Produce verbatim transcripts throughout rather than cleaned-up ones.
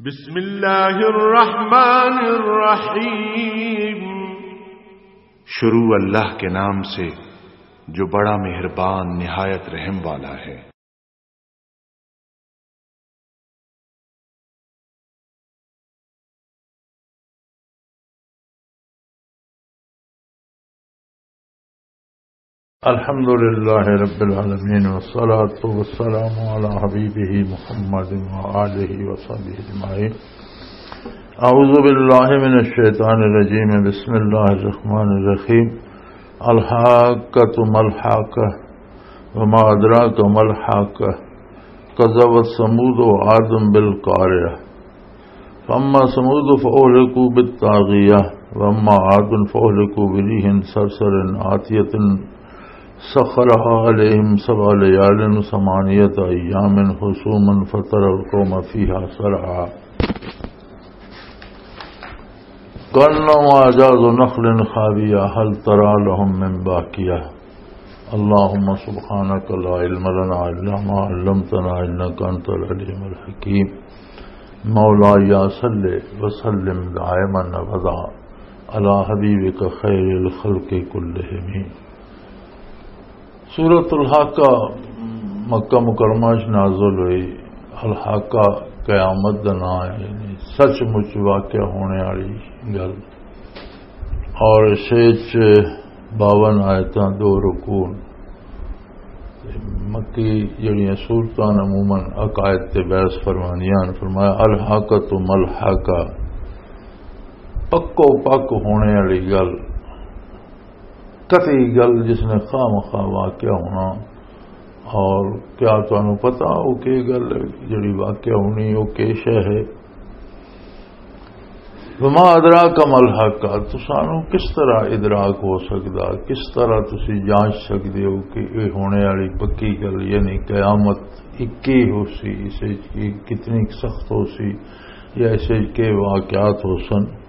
بسم اللہ الرحمن الرحیم۔ شروع اللہ کے نام سے، جو بڑا مہربان، نہایت رحم والا ہے۔ الحمد لله رب العالمين، والصلاة والسلام على حبيبه محمد وآله وصحبه أجمعين. أعوذ بالله من الشيطان الرجيم. بسم الله الرحمن الرحيم. الحاقة ما الحاقة، وما أدراك ما الحاقة، كذبت ثمود وعاد بالقارعة. فأما ثمود فأهلكوا بالطاغية، وأما عاد فأهلكوا بريح صرصر عاتية سخرها عليهم سبع ليال وثمانية أيام حسوما فترى القوم فيها صرعى كأنهم أعجاز نخل خاوية هل ترى لهم من باقية. اللهم سبحانك لا علم لنا إلا ما علمتنا إنك أنت العليم الحكيم. مولاي صل وسلم دائما أبدا على حبيبك خير الخلق كلهم. سورۃ الحاقہ مکہ مکرمہ وچ نازل ہوئی۔ الحاقہ قیامت دا نام ہے، یعنی سچ مچ واقع ہونے والی گل۔ اور اس وچ باون آیتاں، دو رکوع۔ مکی جڑیاں سورتاں عموماً عقائد تے بحث فرماندیاں ہن۔ فرمایا، "الحاقۃ ملحقہ"، پکو پک ہونے والی گل، قطعی گل جس نے خواہ مخواہ واقع ہونا۔ اور کیا تانوں پتہ وہ کی گل ہے جڑی واقع ہونی، وہ کی شے ہے؟ وما ادراک ما الحاقہ، تسانوں کس طرح ادراک ہو سکدا، کس طرح تسی جانچ سکدے ہو کہ یہ ہونے والی پکی گل، یعنی قیامت کی ہو سی، اسے کی کتنی سخت ہو سی، یا اسے کے واقعات ہو سن؟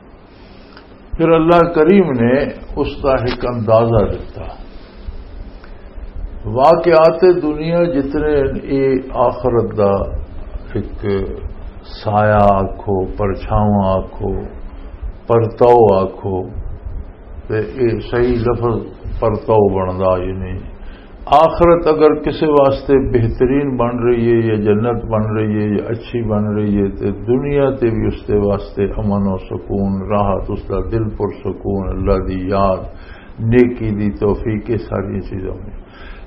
پھر اللہ کریم نے اس کا ایک اندازہ دیتا۔ واقعات دنیا جتنے، یہ آخرت دا ایک سایہ آکھو، پرچھاواں آکھو، پرتاؤ آکھو، تے یہ صحیح لفظ پرتاؤ بندا، یعنی آخرت اگر کسے واسطے بہترین بن رہی ہے یا جنت بن رہی ہے یا اچھی بن رہی ہے، تے دنیا تے بھی اس دے واسطے امن و سکون، راحت، اس دا دل پر سکون، اللہ دی یاد، نیکی دی توفیق، یہ ساری چیزاں میں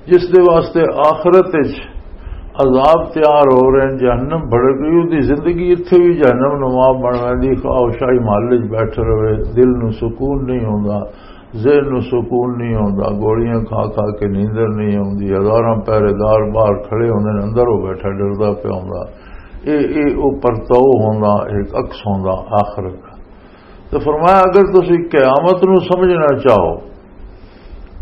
جس دے واسطے آخرت وچ عذاب تیار ہو رہے ہیں، جہنم بھڑک رہی، اس دی زندگی اتھے بھی جہنم نما بن ویندی، خواہ شاہی محل وچ بیٹھے رہے، دل نو سکون نہیں ہوندا، ذہن نو سکون نہیں ہوندا، گولیاں کھا کھا کے نیندر نہیں ہوندی، ہزاراں پہرے دار باہر کھڑے ہوندے نے، اندر وہ بیٹھا ڈردا پیا ہوندا۔ اے، اے او پرتاؤ ہوندا، ایک عکس ہوندا آخرت دا۔ تو فرمایا، اگر تسی قیامت نو سمجھنا چاہو،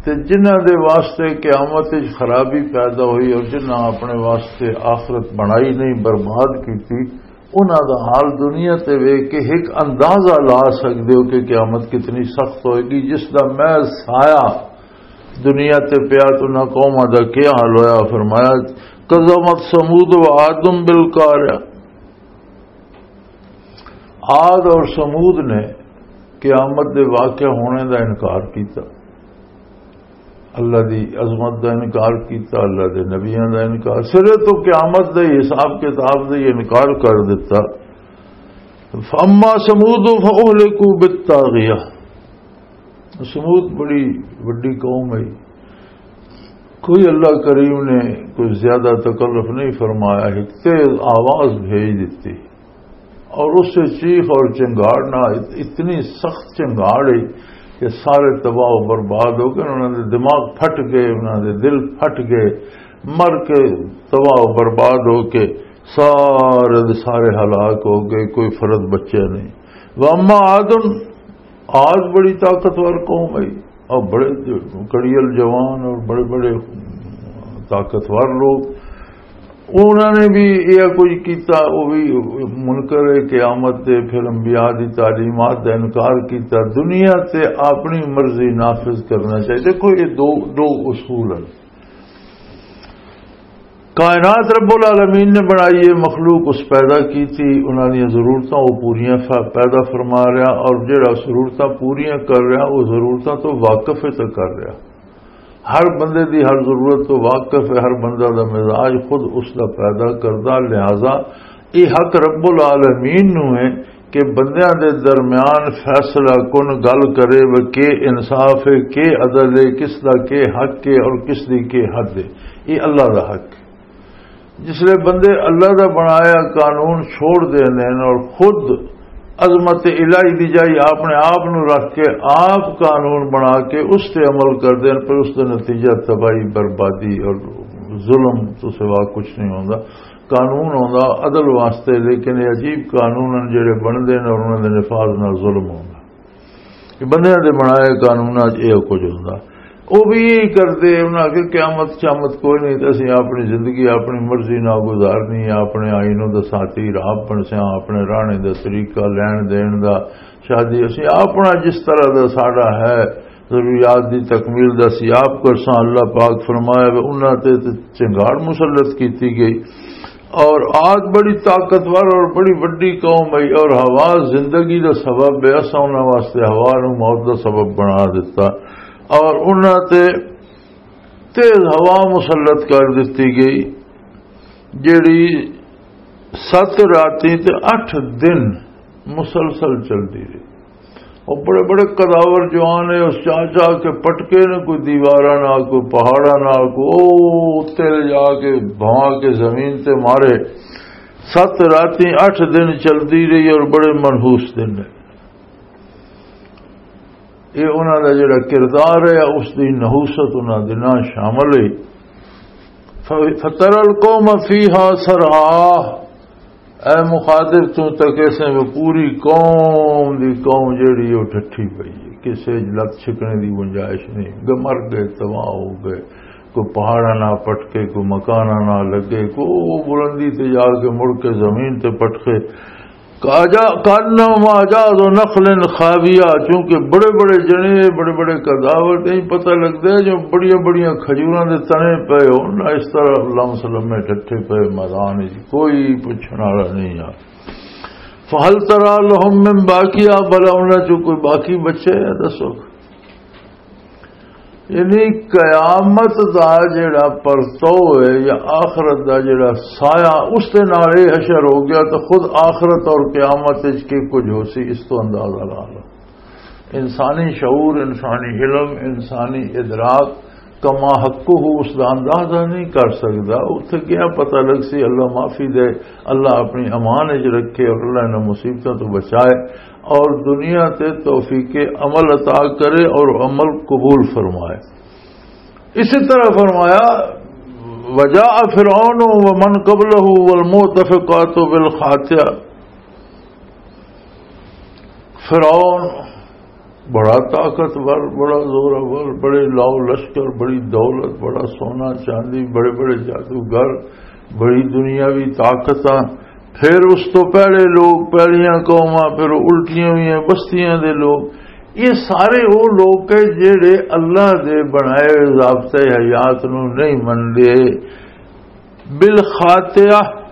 تے جنہاں دے واسطے قیامت وچ خرابی پیدا ہوئی اور جنہاں اپنے واسطے آخرت بنائی نہیں، برباد کیتی، انہاں دا حال دنیا تے ویکھ کے ایک اندازہ لا سکدے ہو کہ قیامت کتنی سخت ہوئے گی، جس دا محض سایہ دنیا تے پیا تو انہاں قوماں دا کیا حال ہویا۔ فرمایا، "کذبت ثمود و عاد بالقارعہ۔" عاد اور ثمود نے قیامت دے واقع ہونے دا انکار کیتا، اللہ دی عظمت دا انکار کیتا، اللہ دے نبیاں دا انکار، سرے تو قیامت دے حساب کتاب دا ہی انکار کر دیتا۔ فَأَمَّا ثَمُودُ فَأُهْلِكُوا بِالطَّاغِيَةِ۔ ثمود بڑی وڈی قوم ہے، کوئی اللہ کریم نے کوئی زیادہ تکلف نہیں فرمایا، ایک تیز آواز بھیج دیتی اور اس سے چیخ اور چنگاڑنا، ات-، اتنی سخت چنگاڑ ہے کہ سارے تباہ و برباد ہو گئے، انہاں دے دماغ پھٹ گئے، انہاں دے دل پھٹ گئے، مر کے تباہ و برباد ہو کے سارے دے سارے ہلاک ہو گئے، کوئی فرد بچیا نہیں۔ واما عاد، عاد بڑی طاقتور قوم ہے، اور بڑے کڑیل جوان اور بڑے بڑے طاقتور لوگ، انہوں نے بھی یہ کچھ کیتا، وہ بھی منکر قیامت دے، پھر انبیاء دی تعلیمات دا انکار کیتا، دنیا تے اپنی مرضی نافذ کرنا چاہیے۔ دیکھو، یہ دو، دو اصول ہیں۔ کائنات رب العالمین نے بنائی ہے، مخلوق اس پیدا کی تھی، انہاں دیاں ضرورتاں وہ پوریاں ف-، پیدا فرما رہا، اور جڑا ضرورتاں پوریاں کر رہا، وہ ضرورتاں تو واقف ہے تو کر رہا۔ ہر بندے دی ہر ضرورت تو واقف ہے، ہر بندہ دا مزاج خود اس دا پیدا کردہ، لہذا یہ حق رب العالمین نو ہے کہ بندیاں دے درمیان فیصلہ کن گل کرے، وہ کے انصاف ہے، کے عدل ہے، کس دا کے حق ہے اور کس دی کے حد ہے۔ یہ اللہ دا حق ہے۔ جس لئے بندے اللہ دا بنایا قانون چھوڑ دیندے نے اور خود عظمت الہی دی جائی اپنے آپ نو رکھ کے آپ قانون بنا کے اس تے عمل کردے نے، پر اس دا نتیجہ تباہی، بربادی اور ظلم تو سوا کچھ نہیں ہوندا۔ قانون ہوندا عدل واسطے، لیکن یہ عجیب قانون ہیں جڑے بندے نے اور انہاں دے نفاذ نال ظلم ہوندا۔ یہ بندیاں دے بنائے قانوناں 'چ یہ کچھ ہوندا۔ وہ بھی یہی کردے، انہاں کہ قیامت شامت کوئی نہیں، تے اسی اپنی زندگی اپنی مرضی نال گزارنی ہے، اپنے آئینوں دا ساتھی راہ بنسیاں، اپنے رہنے دا طریقہ، لین دین دا، شادی، اسی اپنا جس طرح دا ساڈا ہے، ضروریات دی تکمیل دا اسی آپ کرساں۔ اللہ پاک فرمایا، "وہ انہاں تے تے چنگاڑ مسلط کیتی گئی۔" اور عاد بڑی طاقتور اور بڑی وڈی قوم ہے، اور ہوا زندگی دا سبب ہے، اساں انہاں واسطے ہوا نوں موت دا سبب بنا دتا، اور انہاں تے تیز ہوا مسلط کر دتی گئی، جیڑی ست راتیں تے اٹھ دن مسلسل چلدی رہی۔ وہ بڑے بڑے قداور جوان ہے، اس چاہ چاہ کے پٹکے نے، کوئی دیواراں نال، کوئی پہاڑاں نال، کوئی او اتنے لے جا کے بھاں کے زمین تے مارے۔ ست راتیں اٹھ دن چلدی رہی اور بڑے منحوس دن نے۔ یہ انہاں دا جڑا کردار ہے، اس دی نحوست انہاں دے نال شامل ہے۔ ف-، فتر القوم فیہا سرعا۔ اے مخاطب، تو تک ایسے میں پوری قوم دی قوم جڑی وہ ٹھٹھی پئی ہے، کسے لت چھکنے دی گنجائش نہیں، گ-، مر گئے، تباہ ہو گئے۔ کوئی پہاڑاں نہ پٹکے، کوئی مکاناں نہ لگے، کوئی وہ بلندی تے جا کے مڑ کے زمین تے پٹکے۔ کاجا-، کانہما اعجاز نخل خاویہ، چونکہ بڑے بڑے جنے، بڑے بڑے قداور، نہیں پتہ لگدا ہے جو بڑیاں بڑیاں کھجوراں دے تنے پئے ہون، اس طرح لمس لمے ٹھٹھے پئے میدان وچ، کوئی پوچھن والا نہیں آ۔ فہل ترا لہم من باقیہ، بھلا انہاں چوں کوئی باقی بچے ہے؟ دسو۔ یعنی قیامت دا جڑا پرتو ہے یا آخرت دا جڑا سایہ، اس دے نال یہ حشر ہو گیا، تو خود آخرت اور قیامت وچ کی کچھ ہو سی، اس تو اندازہ لا لو۔ انسانی شعور، انسانی علم، انسانی ادراک کما حقہ اس دا اندازہ نہیں کر سکدا۔ اتھے کیا پتہ لگ سی، اللہ معافی دے، اللہ اپنی امان وچ رکھے اور اللہ انہاں مصیبتاں تو بچائے اور دنیا تے توفیق عمل عطا کرے اور عمل قبول فرمائے۔ اسی طرح فرمایا، وجاء فرعون ومن قبله والمؤتفقات بالخاطئة۔ فرعون بڑا طاقتور، بڑا زورآور، بڑے لاؤ لشکر، بڑی دولت، بڑا سونا چاندی، بڑے بڑے جادوگر، بڑی دنیاوی طاقتاں، پھر اس تو پہلے لوگ، پہلیاں قوماں، پھر الٹیاں ہوئیاں بستیاں دے لوگ، یہ سارے وہ لوگ ہیں جڑے اللہ دے بنائے ضابطۂ حیات نو نہیں منتے۔ بالخاطئہ،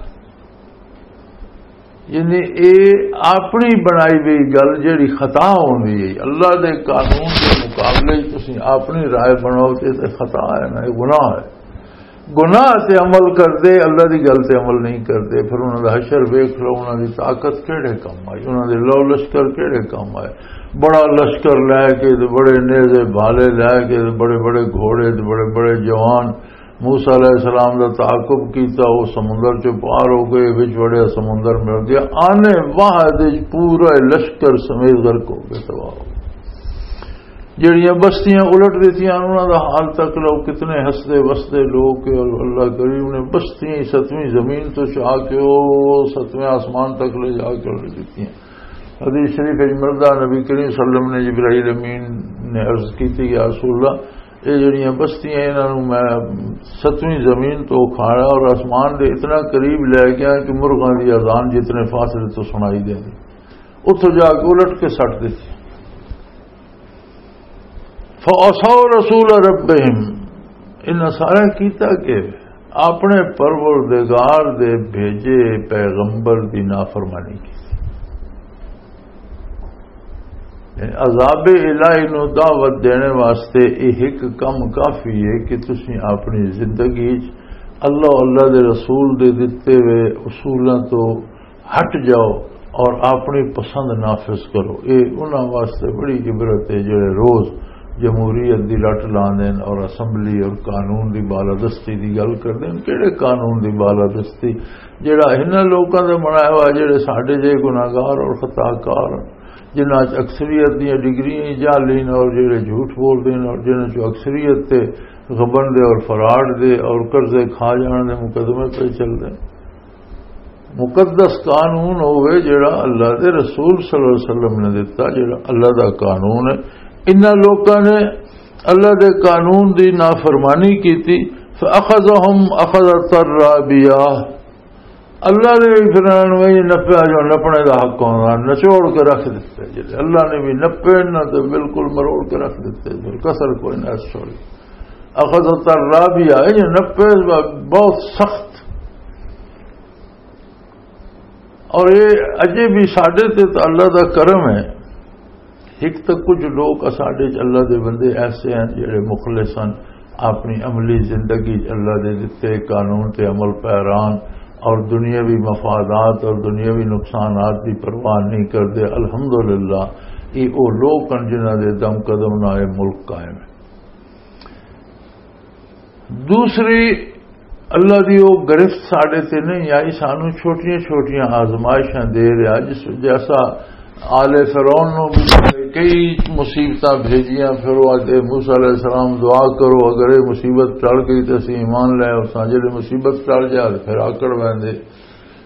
یعنی اے اپنی بنائی ہوئی گل جیڑی خطا ہوندی ہے، اللہ دے قانون دے مقابلے وچ تسی اپنی رائے بناؤ تے، تے خطا ہے نا، یہ گناہ ہے۔ گناہ تے عمل کردے، اللہ دی گل تے عمل نہیں کردے، پھر انہاں دا حشر ویکھ لو، انہاں دی طاقت کیڑے کم آئی، انہاں دے لو لشکر کیڑے کم آئے۔ بڑا لشکر لے کے تے بڑے نیزے بھالے لے کے تے بڑے بڑے گھوڑے تے بڑے بڑے جوان، موسیٰ علیہ السلام دا تعاقب کیتا، وہ سمندر چوں پار ہو گئے، وچ وڑیا سمندر مل گیا۔ آنے واحد وچ پورا لشکر سمیت غرق ہو گئے، تباہ ہو گئے۔ جڑیاں بستیاں الٹ دتیاں، انہاں دا حال تک لو، کتنے ہسدے وسدے لوگ کہ اللہ کریم نے بستیاں ہی ستویں زمین تو چاہ کے وہ ستویں آسمان تک لے جا کے الٹ دتیاں۔ حدیث شریف وچ ملدا، نبی کریم صلی اللہ علیہ وسلم نے جبرائیل امین نے عرض کی تھی، یا رسول اللہ، یہ جڑیاں بستیاں، انہاں نوں میں ستویں زمین تو کھانا اور آسمان دے اتنا قریب لے گیا کہ مرغاں دی اذان جتنے فاصلے تو سنائی دیندی، اتھوں جا کے الٹ کے سٹ دتی۔ فَعَصَوْا رَسُولَ رَبِّهِمْ، انہاں سارا کیتا کہ اپنے پروردگار دے بھیجے پیغمبر دی نافرمانی کی۔ یعنی عذاب الہی نو دعوت دینے واسطے یہ ایک کم کافی ہے کہ تسی اپنی زندگی وچ اللہ، اللہ دے رسول دے دتے ہوئے اصولاں تو ہٹ جاؤ اور اپنی پسند نافذ کرو۔ یہ انہاں واسطے بڑی عبرت ہے جڑے روز جمہوریت دی رٹ لاندے ہیں اور اسمبلی اور قانون دی بالادستی دی گل کردے ہیں۔ کہڑے قانون دی بالادستی؟ جڑا انہاں لوکاں دا بنایا ہوا، جڑے ساڈے جے گناہگار اور خطا کار، جنہاں چ اکثریت دیاں ڈگریاں ہی جعلی نے اور جڑے جھوٹ بول دے نے اور جنہاں چ اکثریت تے غبن دے اور فراڈ دے اور قرضے کھا جان دے مقدمے پہ چل دے۔ مقدس قانون ہوئے جڑا اللہ دے رسول صلی اللہ علیہ وسلم نے دتا، جڑا اللہ دا قانون ہے۔ انہاں لوکاں نے اللہ دے قانون دی نافرمانی کیتی، فَأَخَذَهُمْ أَخَذَةً رَّابِيَةً۔ اللہ نے بھی پھر انہاں نوں یہ نپیا جو نپنے دا حق ہوندا، نچوڑ کے رکھ دتے۔ جڑے اللہ نے بھی نپے، انہاں تے بالکل مروڑ کے رکھ دتے، پھر کسر کوئی نہ چھوڑی۔ اخذ الرابیہ، یہ نپے بہت سخت۔ اور یہ اجے بھی ساڈے تے تو اللہ دا کرم ہے۔ ایک تو کچھ لوگ ساڈے چ اللہ دے بندے ایسے ہیں جڑے مخلص ہیں، اپنی عملی زندگی چ اللہ دے دتے قانون تے عمل پیران اور دنیاوی مفادات اور دنیاوی نقصانات دی پرواہ نہیں کردے۔ الحمدللہ، یہ وہ لوگ ہیں جنہاں دے دم قدم نال یہ ملک قائم ہے۔ دوسری، اللہ دی وہ گرفت ساڈے تے نہیں آئی، سانو چھوٹیاں چھوٹیاں آزمائشاں دے رہا، جس جیسا آل فرعون نو بھی کئی مصیبتاں بھیجیاں، پھر وہ آدھے موسیٰ علیہ السلام دعا کرو، اگر یہ مصیبت ٹل گئی تو اسی ایمان لے آؤ، سانجے مصیبت ٹل جائے تو پھر آکڑ ویندے۔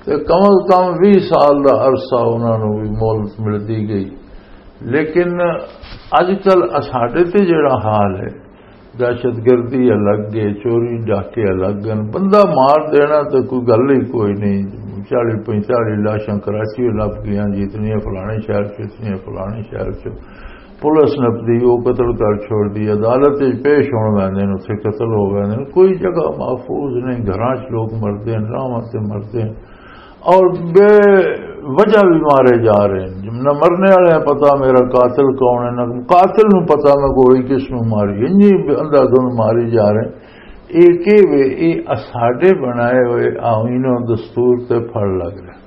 تے کم از کم ویہہ سال دا عرصہ انہاں نوں بھی مہلت ملتی گئی۔ لیکن اج کل اساڈے تے جڑا حال ہے، دہشت گردی الگ ہے، چوری ڈاکے الگ ہیں، بندہ مار دینا تے کوئی گل ہی کوئی نہیں۔ چالی پینتالی لاشاں کراچی لب گئیاں جی، اتنی فلانے شہر چ، اتنی فلانے شہر چ۔ پولیس نپدی، وہ قتل کر چھوڑ دی، عدالت وچ پیش ہون ویندے نے، اتھے قتل ہو ویندے نے۔ کوئی جگہ محفوظ نہیں، گھراں چ لوگ مردے ہیں، راہواں تے مردے ہیں اور بے وجہ بھی مارے جا رہے ہیں۔ نہ مرنے والے ہیں پتہ میرا قاتل کون ہے، نہ قاتل نوں پتہ میں گولی کس نوں ماری، انجی اندھا دھند ماری جا رہے ہیں۔ یہ کہ وے، یہ اساڈے بنائے ہوئے آئین و دستور تے پھڑ لگ رہے ہیں۔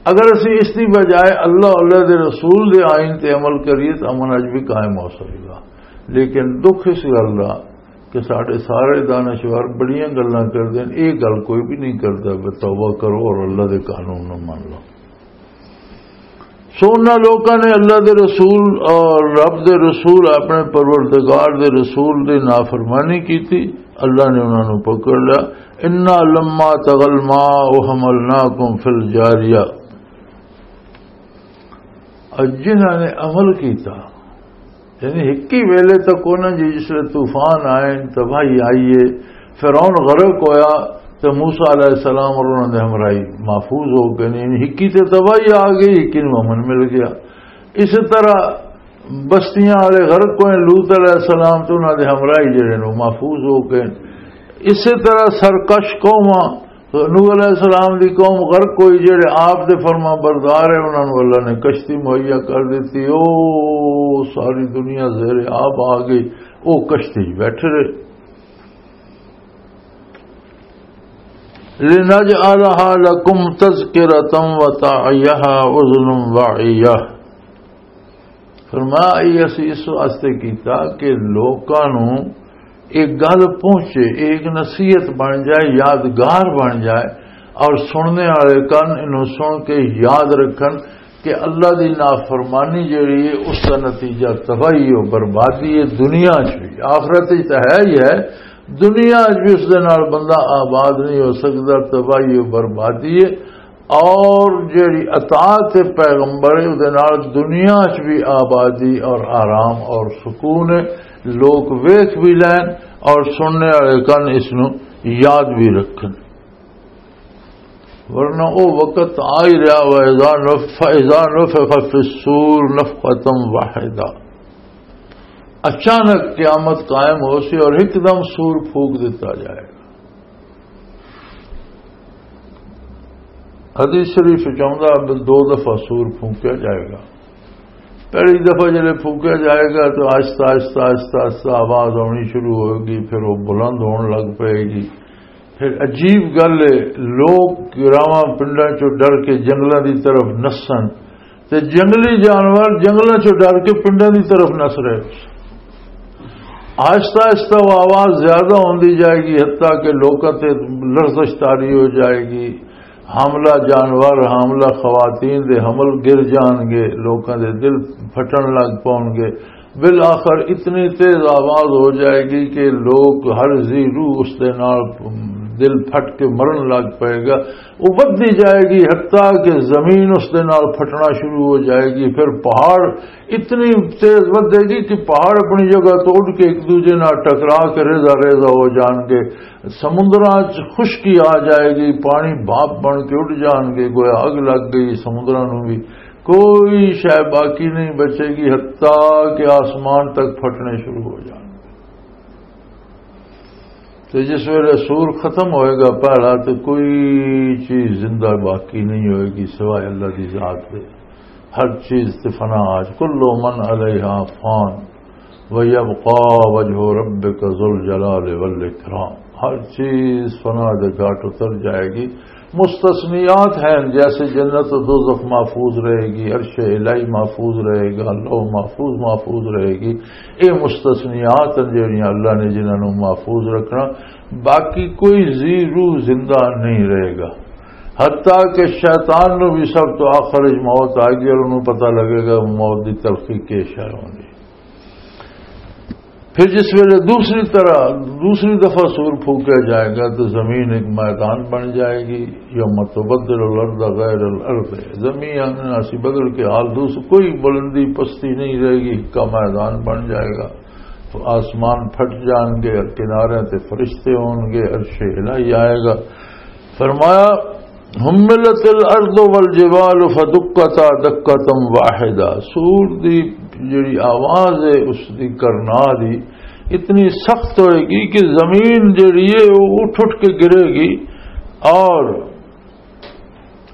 اگر اسی اس دی بجائے اللہ، اللہ دے رسول دے آئین تے عمل کریے تو امن اج بھی قائم ہو سکے گا۔ لیکن دکھ اس گل دا کہ ساڈے سارے دانشور بڑیاں گلاں کردے نے، یہ گل کوئی بھی نہیں کردا کہ توبہ کرو اور اللہ دے قانون نوں من لو۔ سو انہاں لوکاں نے اللہ دے رسول اور رب دے رسول، اپنے پروردگار دے رسول دی نافرمانی کیتی، اللہ نے انہاں نوں پکڑ لیا۔ انا لما طغى الماء حملناكم في الجارية۔ اور جنہاں نے عمل کیتا، یعنی ہکی ویلے تک انہاں جی جس ویلے طوفان آئے، تباہی آئی ہے، فرعون غرق ہویا، تو موسیٰ علیہ السلام اور انہاں دے ہمراہی محفوظ ہو گئے، یعنی ہکی تے تباہی آ گئی، ہکی نوں امن مل گیا۔ اسی طرح بستیاں والے غرق ہوئے، لوط علیہ السلام تو انہاں دے ہمراہی جڑے نو محفوظ ہو گئے۔ اسی طرح سرکش قوماں، نوح علیہ السلام دی قوم غرق ہوئی، جڑے آپ دے فرما بردار ہیں، انہاں نوں اللہ نے کشتی مہیا کر دتی۔ او ساری دنیا زیر آب آ گئی، او کشتی وچ بیٹھے رہے۔ لِنَجْعَلَهَا لَكُمْ تَذْكِرَةً وَتَعِيَهَا أُذُنٌ وَاعِيَةٌ۔ فرمایا، یہ اسی اس واسطے کیتا کہ لوکاں نوں ایک گل پہنچے، ایک نصیحت بن جائے، یادگار بن جائے، اور سننے والے کن انہوں سن کے یاد رکھن کہ اللہ دی نافرمانی جڑی ہے، اس کا نتیجہ تباہی و بربادی ہے، دنیا چ بھی، آخرت چ تو ہے ہی ہے، دنیا چ بھی اس دے نال بندہ آباد نہیں ہو سکتا، تباہی و بربادی ہے۔ اور جڑی اطاعت پیغمبر ہے، اس دے نال دنیا چ بھی آبادی اور آرام اور سکون ہے، لوگ ویکھ بھی لین اور سننے والے کن اس نو یاد بھی رکھن۔ ورنہ او وقت آ ہی رہا، وَإِذَا نُفِخَ، فَإِذَا نُفِخَ فِي الصُّورِ نَفْخَةٌ وَاحِدَةٌ۔ اچانک قیامت قائم ہو سی اور ایک دم سور پھونک دیتا جائے گا۔ حدیث شریف چاہتا، دو دفعہ سور پھونکیا جائے گا۔ پہلی دفعہ جب پھونکیا جائے گا تو آہستہ آہستہ آہستہ آہستہ آواز آنی شروع ہوئے گی، پھر وہ بلند ہون لگ پائے گی۔ پھر عجیب گل ہے، لوگ گراواں پنڈاں چوں ڈر کے جنگلاں دی طرف نسن، تے جنگلی جانور جنگلاں چوں ڈر کے پنڈاں دی طرف نس رہے۔ آہستہ آہستہ وہ آواز زیادہ ہوندی جائے گی، حتیٰ کہ لوکاں تے لرزش طاری ہو جائے گی۔ حاملہ جانور، حاملہ خواتین دے حمل گر جان گے، لوکاں دے دل پھٹن لگ پون گے۔ بالآخر اتنی تیز آواز ہو جائے گی کہ لوگ، ہر ذی روح اس دے نال دل پھٹ کے مرن لگ پائے گا۔ وہ ودھدی جائے گی، حتیٰ کہ زمین اس دے نال پھٹنا شروع ہو جائے گی۔ پھر پہاڑ اتنی تیز ودھے گی کہ پہاڑ اپنی جگہ تو اٹھ کے ایک دوجے نال ٹکرا کے ریزہ ریزہ ہو جان گے۔ سمندراں چ خشکی آ جائے گی، پانی بھاپ بن کے اٹھ جان گے، گویا اگ لگ گئی سمندراں نوں بھی۔ کوئی شے باقی نہیں بچے گی، حتیٰ کہ آسمان تک پھٹنے شروع ہو جان گے۔ تو جس ویلے سور ختم ہوئے گا پہلا، تو کوئی چیز زندہ باقی نہیں ہوئے گی سوائے اللہ دی ذات دے۔ ہر چیز تے فنا آج، کل من علیہا فان ویبقا وجہ ربک ذو الجلال والاکرام۔ ہر چیز فنا دے گھاٹ اتر جائے گی۔ مستثنیات ہیں، جیسے جنت و دوزخ محفوظ رہے گی، عرش الہی محفوظ رہے گا، لوح محفوظ محفوظ رہے گی۔ یہ مستثنیات ہیں جڑیاں اللہ نے جنہاں نوں محفوظ رکھنا۔ باقی کوئی ذی روح زندہ نہیں رہے گا، حتیٰ کہ شیطان نوں بھی سب تو آخر وچ موت آ گئی اور انہوں پتہ لگے گا موت دی تلخی کی شے ہوندی۔ پھر جس ویلے دوسری طرح، دوسری دفعہ سور پھونکا جائے گا تو زمین ایک میدان بن جائے گی۔ یوم تبدل الارض غیر الارض، زمین اسی بدل کے حال دوسری، کوئی بلندی پستی نہیں رہے گی، کا میدان بن جائے گا۔ تو آسمان پھٹ جان گے اور کنارے تے فرشتے ہون گے، عرش الہی آئے گا۔ فرمایا، حملت الارض والجبال فدکتا دکتا واحدہ۔ سور دی جڑی آواز ہے، اس دی کرنا دی اتنی سخت ہوئے گی کہ زمین جڑی ہے، وہ اٹھ اٹھ کے گرے گی۔ اور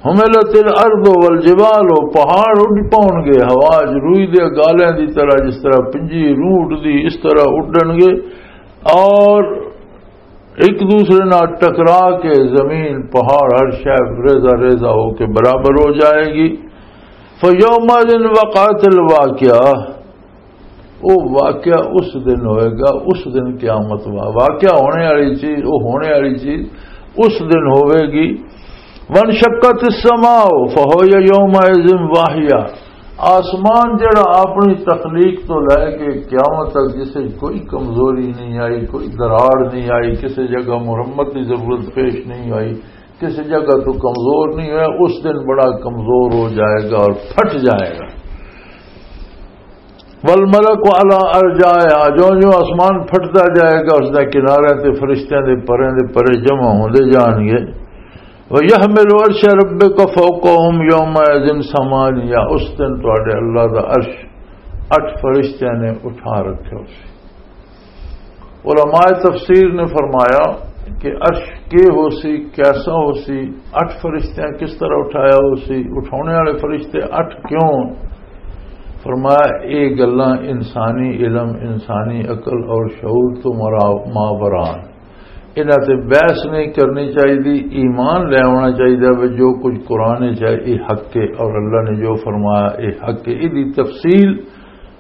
حملت الارض والجبال، وہ پہاڑ اڈ پاؤن گے، ہوا چ روئی دے گالیں دی طرح، جس طرح پنجی روح اڈدی، اس طرح اڈن گے۔ اور ایک دوسرے نال ٹکرا کے زمین، پہاڑ، ہر شے ریزہ ریزہ ہو کے برابر ہو جائے گی۔ فیومئذ وقعت الواقعہ، وہ واقعہ اس دن ہوئے گا، اس دن قیامت وا-، واقعہ ہونے والی چیز، وہ ہونے والی چیز اس دن ہوئے گی۔ وانشقت السماء فہی یومئذ واہیہ، آسمان جڑا اپنی تخلیق تو لے کے قیامت تک جسے کوئی کمزوری نہیں آئی، کوئی دراڑ نہیں آئی، کسی جگہ مرمت کی ضرورت پیش نہیں آئی، کسی جگہ تو کمزور نہیں ہوا، اس دن بڑا کمزور ہو جائے گا اور پھٹ جائے گا۔ والملک علی ارجائها، جو جو آسمان پھٹدا جائے گا، اس دے کنارے تے فرشتیاں دے پرے دے پرے جمع ہوندے جان گے۔ ویحمل عرش ربک فوقهم یومئذ ثمانیہ، اس دن تواڈے اللہ دا عرش اٹھ فرشتیاں نے اٹھا رکھے ہو سی۔ علماء تفسیر نے فرمایا کہ عرش کے ہو سی، کیسا ہو سی، اٹھ فرشتیاں کس طرح اٹھایا ہو سی، اٹھانے والے فرشتے اٹھ کیوں؟ فرمایا، یہ گلاں انسانی علم، انسانی عقل اور شعور تو مرا-، ماوران۔ انہاں تے بحث نہیں کرنی چاہیے، ایمان لے آنا چاہیے، وہ جو کچھ قرآن چ ہے، یہ حق ہے، اور اللہ نے جو فرمایا، یہ حق ہے۔ یہ تفصیل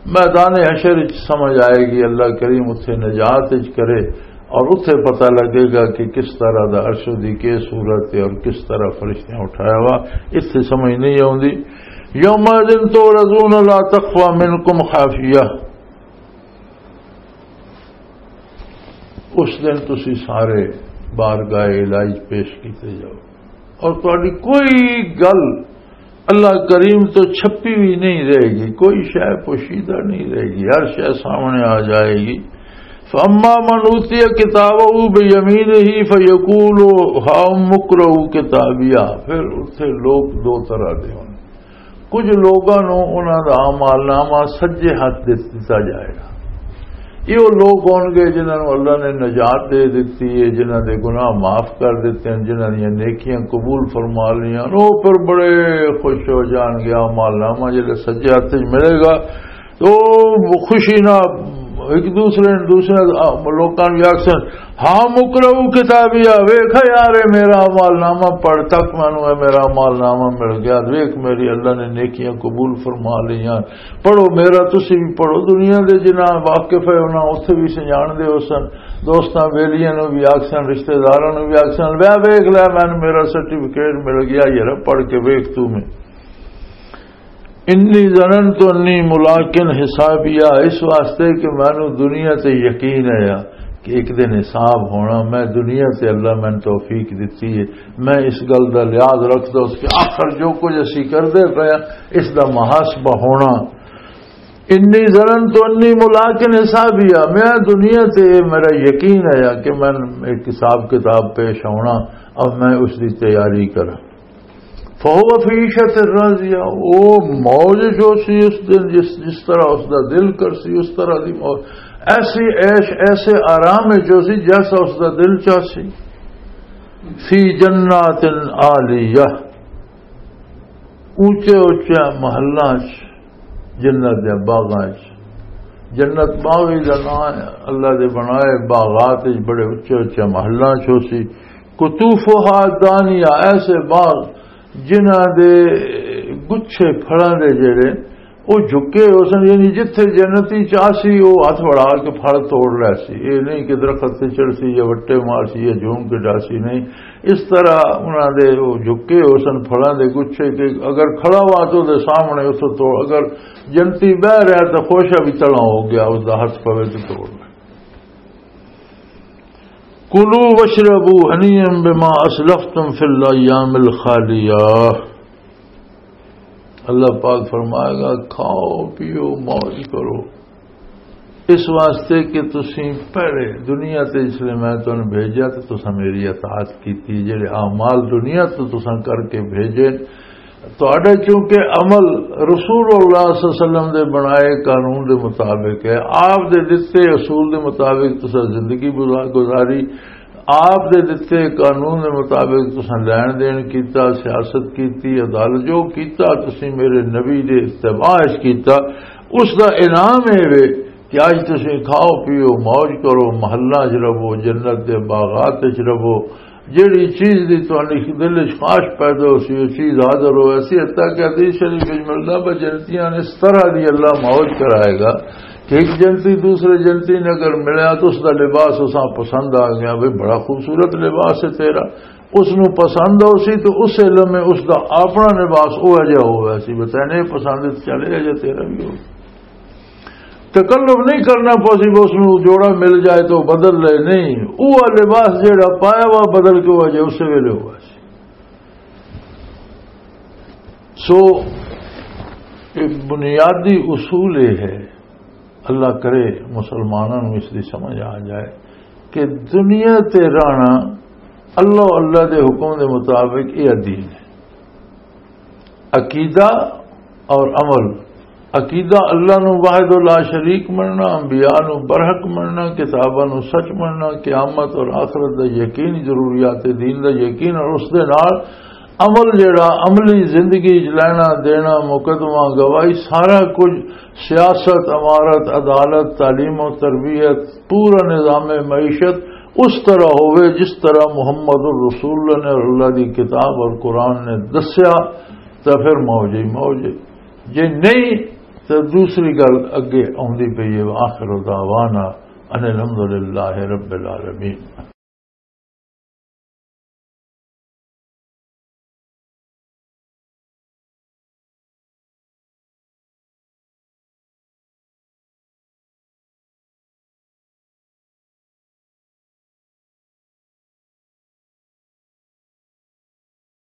میدان حشر وچ سمجھ آئے گی، اللہ کریم اتھے نجات وچ کرے اور اتھے پتہ لگے گا کہ کس طرح دا عرش دی کی صورت ہے اور کس طرح فرشتیاں اٹھایا ہوا، اتھے سمجھ نہیں آوندی۔ یومئذ تعرضون لا تخفی منکم خافیہ، اس دن تسی سارے بارگاہ الہی پیش کیتے جاؤ اور تہاڈی کوئی گل اللہ کریم تو چھپی ہوئی نہیں رہے گی، کوئی شے پوشیدہ نہیں رہے گی، ہر شے سامنے آ جائے گی۔ فَأَمَّا مَنْ أُوتِيَ كِتَابَهُ بِيَمِينِهِ فَيَقُولُ هَاؤُمُ اقْرَءُوا كِتَابِيَهْ، پھر اتھے لوگ دو طرح دے ہون۔ کچھ لوگاں نوں انہاں دا اعمال نامہ سجے ہاتھ دے دتا جائے گا، یہ وہ لوگ ہون گے جنہاں نوں اللہ نے نجات دے دتی ہے، جنہاں دے گناہ معاف کر دتے ہیں، جنہاں دیاں نیکیاں قبول فرما لیاں، وہ پھر بڑے خوش ہو جان گے۔ اعمال نامہ جلے سجے ہاتھ وچ ملے گا تو خوشی نہ ایک دوسرے دوسرے لوکاں نوں آکھسن، "ہاں مقرؤ کتابیا، ویکھ یار، اے میرا اعمال نامہ پڑھ تک مینوں اے میرا اعمال نامہ مل گیا، ویکھ میری اللہ نے نیکیاں قبول فرما لیاں۔" پڑھو میرا، تسی بھی پڑھو۔ دنیا دے جنہاں واقف ہے، انہاں اوتھے بھی سجان دے ہو سن، دوستاں بیلیاں نوں بھی آکھسن، رشتہ داراں نوں بھی آکھسن، "وے ویکھ لے، مینوں میرا سرٹیفکیٹ مل گیا، یار پڑھ کے ویکھ تو میں۔" "انی ظننت انی ملاقن حسابیا"، اس واسطے کہ مینوں دنیا تے یقین ہے کہ ایک دن حساب ہونا، میں دنیا تے اللہ مینوں توفیق دتی ہے، میں اس گل دا لحاظ رکھدا اس کہ آخر جو کچھ اسی کردے پئے ہاں، اس دا محاسبہ ہونا۔ "انی ظننت انی ملاقن حسابیا"، میں دنیا تے میرا یقین ہے کہ میں ایک حساب کتاب پیش ہونا، اب میں اس دی تیاری کراں۔ فہو فی عیشت راضیہ، او موج جو سی اس دن، جس، جس طرح اس دا دل کر سی، اس طرح دی موج، ایسی عیش، ایسے آرام جو سی جیسا اس دا دل چاہ سی۔ فی جنات عالیہ، اونچے اونچے محلاں چ، جنت دے باغاں چ۔ جنت باغ ہی دا نام ہے، اللہ دے بنائے باغات وچ بڑے اچے اچے محلاں چ ہو سی۔ قطوفہا دانیہ، ایسے باغ جنہاں دے گچھے پھلاں دے جڑے او جھکے ہو سن، یعنی جتھے جنتی چاہ سی، او ہتھ وڑا کے پھل توڑ لے سی۔ اے نہیں کہ درخت تے چڑھ سی یا وٹے مار سی یا جھوم کے ڈا سی، نہیں۔ اس طرح انہاں دے او جھکے ہو سن پھلاں دے گچھے کہ اگر کھڑا ہوا تو دے سامنے اس توڑ، اگر جنتی بہ رہا تو خوشا بھی تڑا ہو گیا، اس دا ہتھ پوے تو توڑ لے۔ کلوا واشربوا ہنیئا بما اسلفتم فی الایام الخالیہ۔ اللہ پاک فرمائے گا، کھاؤ پیو موج کرو، اس واسطے کہ تسیں پہلے دنیا تے اس لیے میں تمہیں بھیجا تو تساں میری اطاعت کیتی، جڑے اعمال دنیا تو تساں کر کے بھیجے، تہاڈے چونکہ عمل رسول اللہ صلی اللہ علیہ وسلم دے بنائے قانون دے مطابق ہے، آپ دے دتے اصول دے مطابق تساں زندگی گزا-، گزاری، آپ دے دتے قانون دے مطابق تساں لین دین کیتا، سیاست کیتی، عدالت جو کیتا تسی میرے نبی دے اتباع اچ کیتا، اس دا انعام اے وے کہ اج تسی کھاؤ پیو، موج کرو، محلہ اچ رہو، جنت دے باغات اچ رہو۔ جیڑی چیز دی تہاڈی دل اچ خواہش پیدا ہو سی، وہ چیز حاضر ہو ایسی، حتیٰ کہ حدیث شریف اچ ملدا، بس جنتیاں نے اس طرح دی اللہ موج کرائے گا کہ ایک جنتی دوسرے جنتی نے اگر ملیا تو اس دا لباس اساں پسند آ گیا، بھئی بڑا خوبصورت لباس ہے تیرا، اس نو پسند ہو سی تو اس علم میں اس دا اپنا لباس او جہا ہو ویسی، بتائے نہیں پسند تو چلے جا تیرا بھی ہو۔ تکلف نہیں کرنا پوسی، بس اس نو جوڑا مل جائے تو بدل لے، نہیں، وہ لباس جیڑا پایا وا بدل کے ہو جائے، اس ویلے ہوا سی۔ سو، ایک بنیادی اصول یہ ہے، اللہ کرے مسلمانوں نوں اس دی سمجھ آ جائے کہ دنیا تے رہنا اللہ، اللہ دے حکم دے مطابق یہ دین ہے۔ عقیدہ اور عمل۔ عقیدہ اللہ نو واحد و لا شریک مننا، انبیاء نو برحق مننا، کتاباں نو سچ مننا، قیامت اور آخرت دا یقین، ضروریات دین دا یقین، اور اس دے نال عمل جڑا عملی زندگی وچ لینا دینا، مقدمہ گواہی، سارا کچھ، سیاست، امارت، عدالت، تعلیم و تربیت، پورا نظام معیشت اس طرح ہوئے جس طرح محمد الرسول اللہ نے اور اللہ دی کتاب اور قرآن نے دسیا، تو پھر موج ہی موج ہے۔ جے نہیں تو دوسری گل اگے آندی پئی ہے، وآخر دعوانا ان الحمدللہ رب العالمین۔